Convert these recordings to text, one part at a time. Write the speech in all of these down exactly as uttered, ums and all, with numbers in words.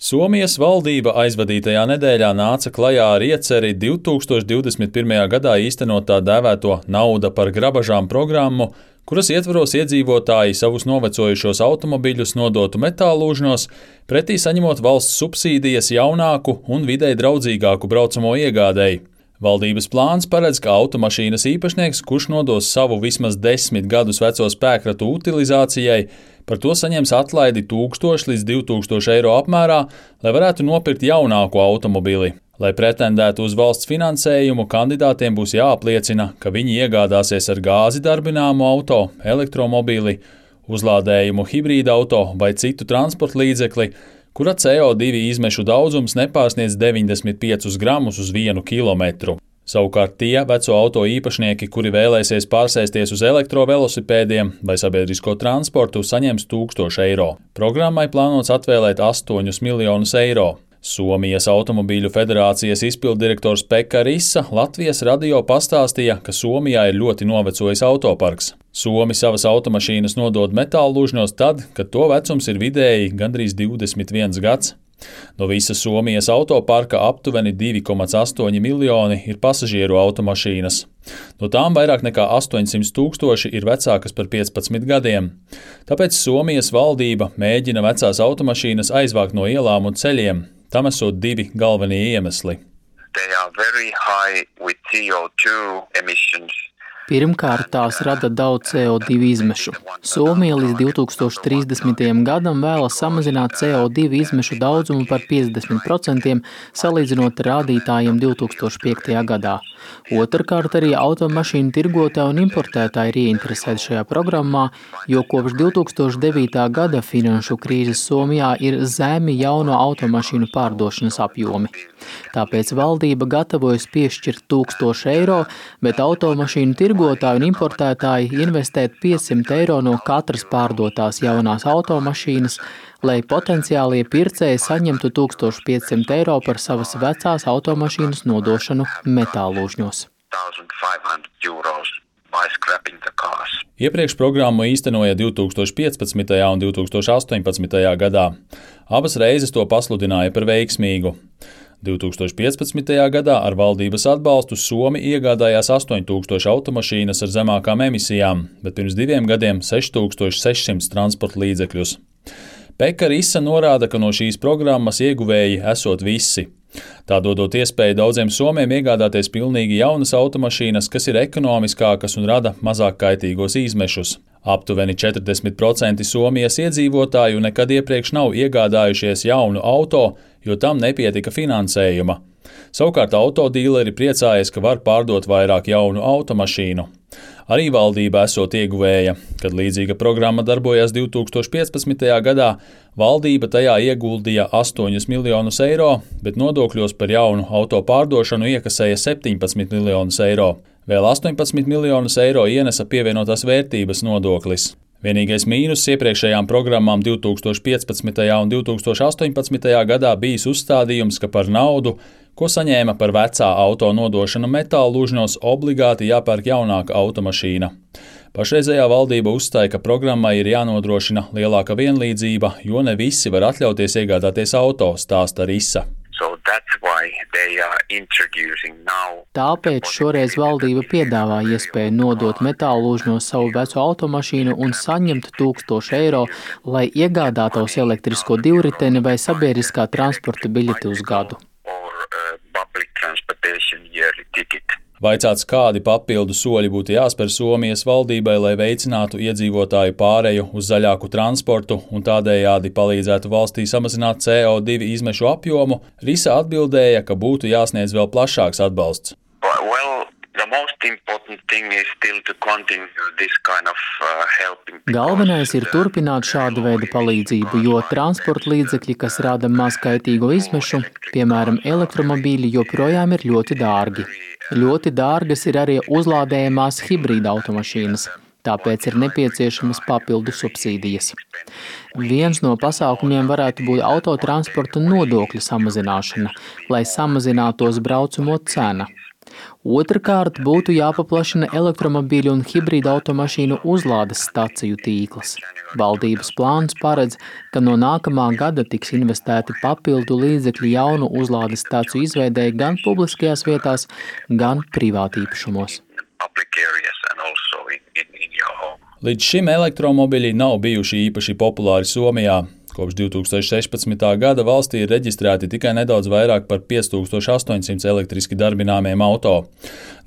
Somijas valdība aizvadītajā nedēļā nāca klajā ar ieceri divtūkstoš divdesmit pirmajā gadā īstenot tā dēvēto nauda par grabažām programmu, kuras ietvaros iedzīvotāji savus novecojušos automobiļus nodotu metāllūžņos, pretī saņemot valsts subsīdijas jaunāku un videi draudzīgāku braucamo iegādēji. Valdības plāns paredz, ka automašīnas īpašnieks, kurš nodos savu vismaz desmit gadus veco spēkratu utilizācijai, par to saņems atlaidi tūkstoš līdz divi tūkstoši eiro apmērā, lai varētu nopirkt jaunāku automobili. Lai pretendētu uz valsts finansējumu, kandidātiem būs jāapliecina, ka viņi iegādāsies ar gāzi darbināmu auto, elektromobili, uzlādējumu hibrīda auto vai citu transporta līdzekli, kura C O divi izmešu daudzums nepārsniedz deviņdesmit piecus gramus uz vienu kilometru. Savukārt tie veco auto īpašnieki, kuri vēlēsies pārsēsties uz elektrovelosipēdiem vai sabiedrisko transportu, saņems tūkstošu eiro. Programmai plānots atvēlēt astoņus miljonus eiro. Somijas automobīļu federācijas izpilddirektors Pekka Risa Latvijas radio pastāstīja, ka Somijā ir ļoti novecojis autoparks. Somi savas automašīnas nodod metāllūžņos tad, kad to vecums ir vidēji gandrīz divdesmit viens gads. No visas Somijas autoparka aptuveni divi komats astoņi miljoni ir pasažieru automašīnas. No tām vairāk nekā astoņsimt tūkstoši ir vecākas par piecpadsmit gadiem. Tāpēc Somijas valdība mēģina vecās automašīnas aizvākt no ielām un ceļiem. Tam esot divi galvenie iemesli. Pirmkārt, tās rada daudz C O divi izmešu. Somija līdz divi tūkstoši trīsdesmitajam gadam vēlas samazināt C O divi izmešu daudzumu par piecdesmit procentiem, salīdzinot ar rādītājiem divi tūkstoši piektajā gadā. Otrkārt, arī automašīnu tirgotāji un importētāji ir ieinteresēti šajā programmā, jo kopš divi tūkstoši devītā gada finanšu krīzes Somijā ir zemi jauno automašīnu pārdošanas apjomi. Tāpēc valdība gatavojas piešķirt tūkstošu eiro, bet automašīnu tirgotāji un importētāji investēt piecsimt eiro no katras pārdotās jaunās automašīnas, lai potenciālie pircēji saņemtu tūkstoš piecsimt eiro par savas vecās automašīnas nodošanu metāllūžņos. Iepriekš programmu īstenoja divi tūkstoši piecpadsmitajā un divi tūkstoši astoņpadsmitajā gadā. Abas reizes to pasludināja par veiksmīgu. divi tūkstoši piecpadsmitajā gadā ar valdības atbalstu Somi iegādājās astoņi tūkstoši automašīnas ar zemākām emisijām, bet pirms diviem gadiem seši tūkstoši sešsimt transporta līdzekļus. Pekka Risa norāda, ka no šīs programmas ieguvēji esot visi. Tā dodot iespēju daudziem somiem iegādāties pilnīgi jaunas automašīnas, kas ir ekonomiskākas un rada mazāk kaitīgos izmešus. Aptuveni četrdesmit procenti Somijas iedzīvotāju nekad iepriekš nav iegādājušies jaunu auto, jo tam nepietika finansējuma. Savukārt autodīleri priecājas, ka var pārdot vairāk jaunu automašīnu. Arī valdība esot ieguvēja. Kad līdzīga programma darbojās divi tūkstoši piecpadsmitajā gadā, valdība tajā ieguldīja astoņus miljonus eiro, bet nodokļos par jaunu auto pārdošanu iekasēja septiņpadsmit miljonus eiro. Vēl astoņpadsmit miljonus eiro ienesa pievienotās vērtības nodoklis. Vienīgais mīnus iepriekšējām programmām divi tūkstoši piecpadsmitajā un divi tūkstoši astoņpadsmitajā gadā bijis uzstādījums, ka par naudu, ko saņēma par vecā auto nodošanu metāllūžņos, obligāti jāpērk jaunāka automašīna. Pašreizējā valdība uzstāja, ka programmai ir jānodrošina lielāka vienlīdzība, jo ne visi var atļauties iegādāties auto, stāsta Risa. Tāpēc šoreiz valdība piedāvā iespēju nodot metāllūžņos savu veco automašīnu un saņemt tūkstošu eiro, lai iegādātos elektrisko divriteni vai sabiedriskā transporta biļeti uz gadu. Vaicāts, kādi papildu soļi būtu jāspēr Somijas valdībai, lai veicinātu iedzīvotāju pāreju uz zaļāku transportu un tādējādi palīdzētu valstī samazināt C O divi izmešu apjomu, Risa atbildēja, ka būtu jāsniedz vēl plašāks atbalsts. Galvenais ir turpināt šādu veidu palīdzību, jo transporta līdzekļi, kas rada mazkaitīgo izmešu, piemēram, elektromobīļi, joprojām ir ļoti dārgi. Ļoti dārgas ir arī uzlādējamās hibrīda automašīnas, tāpēc ir nepieciešamas papildu subsīdijas. Viens no pasākumiem varētu būt autotransporta nodokļa samazināšana, lai samazinātos braucamo cena. Otrakārt, būtu jāpaplašina elektromobīļu un hibrīda automašīnu uzlādes staciju tīkls. Valdības plāns paredz, ka no nākamā gada tiks investēti papildu līdzekļi jaunu uzlādes staciju izveidēji gan publiskajās vietās, gan privātīpašumos. Līdz šim elektromobiļi nav bijuši īpaši populāri Somijā. Kopš divi tūkstoši sešpadsmitā gada valstī ir reģistrēti tikai nedaudz vairāk par pieci tūkstoši astoņsimt elektriski darbināmiem auto.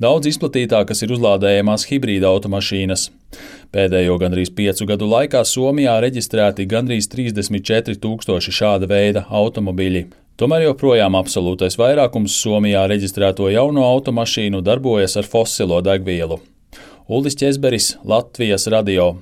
Daudz izplatītākas ir uzlādējamās hibrīda automašīnas. Pēdējo gandrīz piecu gadu laikā Somijā reģistrēti gandrīz trīsdesmit četri tūkstoši šāda veida automobiļi. Tomēr joprojām absolūtais vairākums Somijā reģistrēto jauno automašīnu darbojas ar fosilo degvielu. Uldis Ķezberis, Latvijas radio.